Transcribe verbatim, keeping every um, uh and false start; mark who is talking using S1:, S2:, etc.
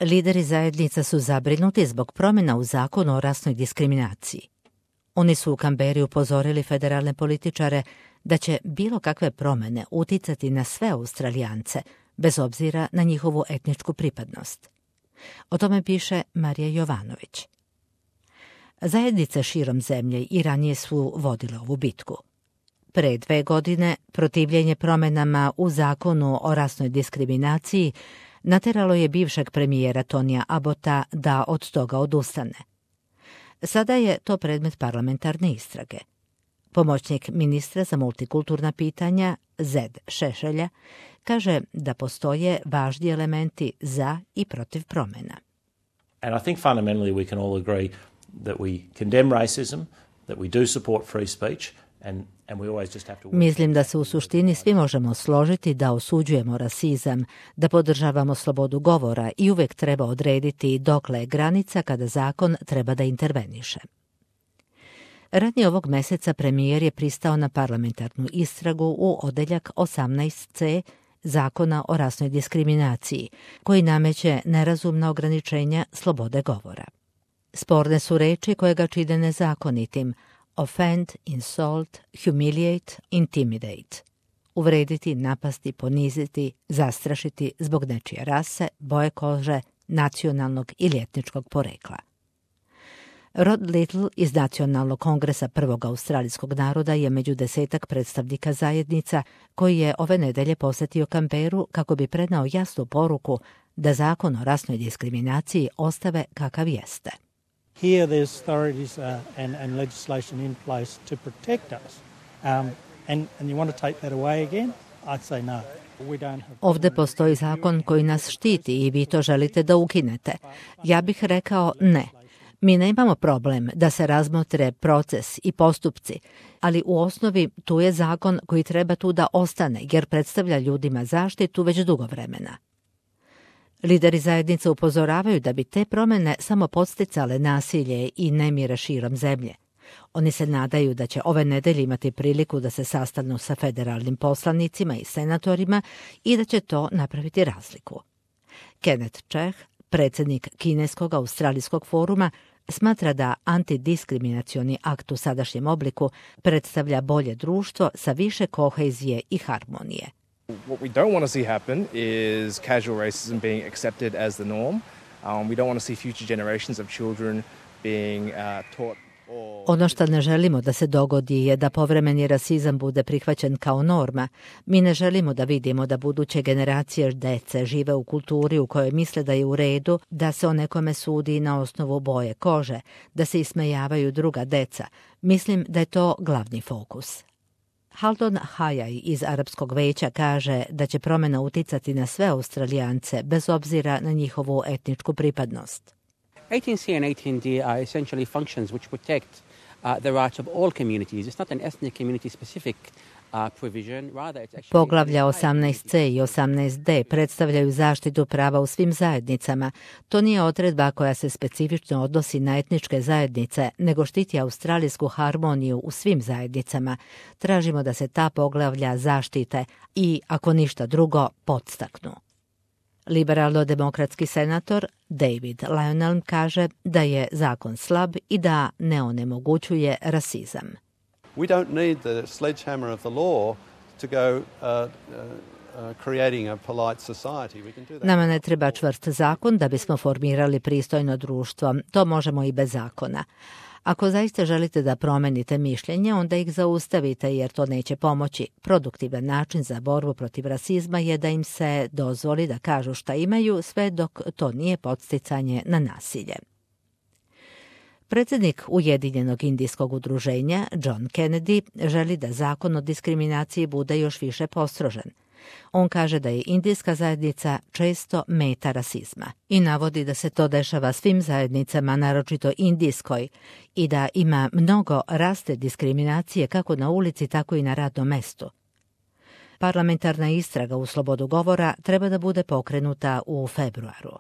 S1: Lideri zajednica su zabrinuti zbog promjena u zakonu o rasnoj diskriminaciji. Oni su u Kamberi upozorili federalne političare da će bilo kakve promjene uticati na sve Australijance, bez obzira na njihovu etničku pripadnost. O tome piše Marija Jovanović. Zajednice širom zemlje i ranije su vodile ovu bitku. Pre dve godine protivljenje promjenama u zakonu o rasnoj diskriminaciji nateralo je bivšeg premijera Tonija Abbotta da od toga odustane. Sada je to predmet parlamentarne istrage. Pomoćnik ministra za multikulturna pitanja Zed Šešelja kaže da postoje važni elementi za i protiv promjena.
S2: And I think fundamentally we can all agree that we condemn racism, that we do support free speech.
S1: Mislim da se u suštini svi možemo složiti da osuđujemo rasizam, da podržavamo slobodu govora i uvijek treba odrediti dokle je granica kada zakon treba da interveniše. Ranije ovog meseca premijer je pristao na parlamentarnu istragu u odeljak osamnaest ce Zakona o rasnoj diskriminaciji, koji nameće nerazumna ograničenja slobode govora. Sporne su reči koje ga čine nezakonitim: offend, insult, humiliate, intimidate. Uvrediti, napasti, poniziti, zastrašiti zbog nečije rase, boje kože, nacionalnog ili etničkog porekla. Rod Little iz Nacionalnog kongresa prvog australijskog naroda je među desetak predstavnika zajednica koji je ove nedelje posjetio Kamberu kako bi prenao jasnu poruku da zakon o rasnoj diskriminaciji ostave kakav jeste.
S3: Here there's authorities uh, and, and legislation in place to protect us. Um, and, and you want to take that away again? I'd say no. We don't have...
S1: Ovdje postoji zakon koji nas štiti i vi to želite da ukinete. Ja bih rekao ne. Mi nemamo problem da se razmotre proces i postupci, ali u osnovi tu je zakon koji treba tu da ostane jer predstavlja ljudima zaštitu već dugo vremena. Lideri zajednice upozoravaju da bi te promjene samo podsticale nasilje i nemire širom zemlje. Oni se nadaju da će ove nedelje imati priliku da se sastanu sa federalnim poslanicima i senatorima i da će to napraviti razliku. Kenneth Cheh, predsjednik Kineskog australijskog foruma, smatra da antidiskriminacioni akt u sadašnjem obliku predstavlja bolje društvo sa više kohezije i harmonije.
S4: What we don't want to see happen is casual racism being accepted as the norm. Um, we don't want to see future generations of children being uh, taught.
S1: Ono što ne želimo da se dogodi je da povremeni rasizam bude prihvaćen kao norma. Mi ne želimo da vidimo da buduće generacije dece žive u kulturi u kojoj misle da je u redu da se o nekome sudi na osnovu boje kože, da se ismejavaju druga deca. Mislim da je to glavni fokus. Haldon Hayai iz Arapskog veća kaže da će promjena uticati na sve Australijance bez obzira na njihovu etničku pripadnost.
S5: eighteen C and eighteen D are essentially functions which protect uh, the rights of all communities. It's not an ethnic community specific uh, provision, rather it's actually...
S1: Poglavlja osamnaest ce i osamnaest de predstavljaju zaštitu prava u svim zajednicama. To nije odredba koja se specifično odnosi na etničke zajednice, nego štiti australijsku harmoniju u svim zajednicama. Tražimo da se ta poglavlja zaštite i, ako ništa drugo, podstaknu. Liberalno-demokratski senator David Lionel kaže da je zakon slab i da ne onemogućuje rasizam.
S6: We don't need the sledgehammer of the law to go uh, uh, creating a polite society. We can do that.
S1: Nama ne treba čvrst zakon da bismo formirali pristojno društvo. To možemo i bez zakona. Ako zaista želite da promenite mišljenje, onda ih zaustavite jer to neće pomoći. Produktivan način za borbu protiv rasizma je da im se dozvoli da kažu šta imaju, sve dok to nije podsticanje na nasilje. Predsjednik Ujedinjenog indijskog udruženja, John Kennedy, želi da zakon o diskriminaciji bude još više postrožen. On kaže da je indijska zajednica često meta rasizma i navodi da se to dešava svim zajednicama, naročito indijskoj, i da ima mnogo raste diskriminacije kako na ulici, tako i na radnom mestu. Parlamentarna istraga u slobodu govora treba da bude pokrenuta u februaru.